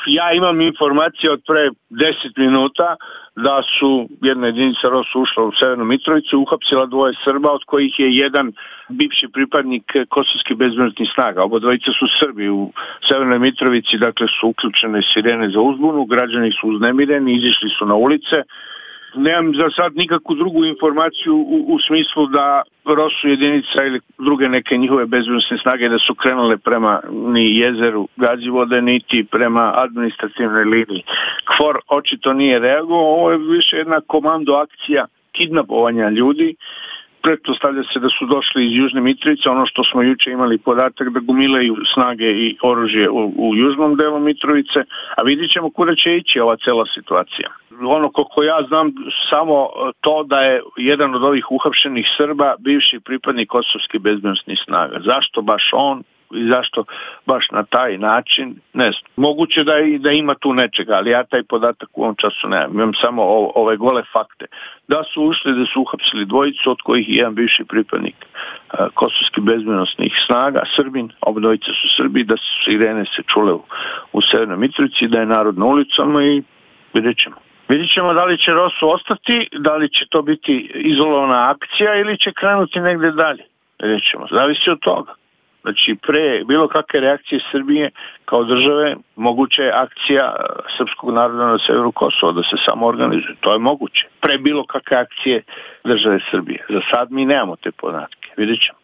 Ja imam informacije od pre 10 minuta da su jedna jedinica ROSU ušla u Severnu Mitrovicu, uhapsila 2 Srba, od kojih je jedan bivši pripadnik kosovskih bezbednosnih snaga. Oba dvojica su Srbi u Severnoj Mitrovici, dakle su uključene sirene za uzbunu, građani su uznemireni, izišli su na ulice. Nemam za sad nikakvu drugu informaciju u smislu da ROSU jedinica ili druge neke njihove bezbednosne snage da su krenule prema ni jezeru Gazivode, niti prema administrativnoj liniji. KFOR očito nije reagovao, ovo je više jedna komando akcija kidnapovanja ljudi. Pretpostavlja se da su došli iz Južne Mitrovice, ono što smo juče imali podatak da gomilaju snage i oružje u južnom delu Mitrovice, a vidit ćemo kuda će ići ova cela situacija. Ono koliko ja znam samo to da je jedan od ovih uhapšenih Srba bivši pripadnik kosovskih bezbednosnih snaga. Zašto baš on i zašto baš na taj način, ne znam. Moguće da ima tu nečega, ali ja taj podatak u ovom času nemam. Imam samo ove gole fakte. Da su ušli, da su uhapsili 2, od kojih je jedan bivši pripadnik kosovskih bezbednosnih snaga, Srbin, oba dvojica su Srbi, da su sirene se čule u Severnoj Mitrovici, da je narod na ulicama i vidjet ćemo. Vidjet ćemo da li će ROSU ostati, da li će to biti izolovana akcija ili će krenuti negde dalje. Vidjet ćemo, zavisi od toga. Znači, pre bilo kakve reakcije Srbije kao države, moguća je akcija srpskog naroda na severu Kosova, da se samo organizuje. To je moguće. Pre bilo kakve akcije države Srbije. Za sad mi nemamo te podatke. Vidjet ćemo.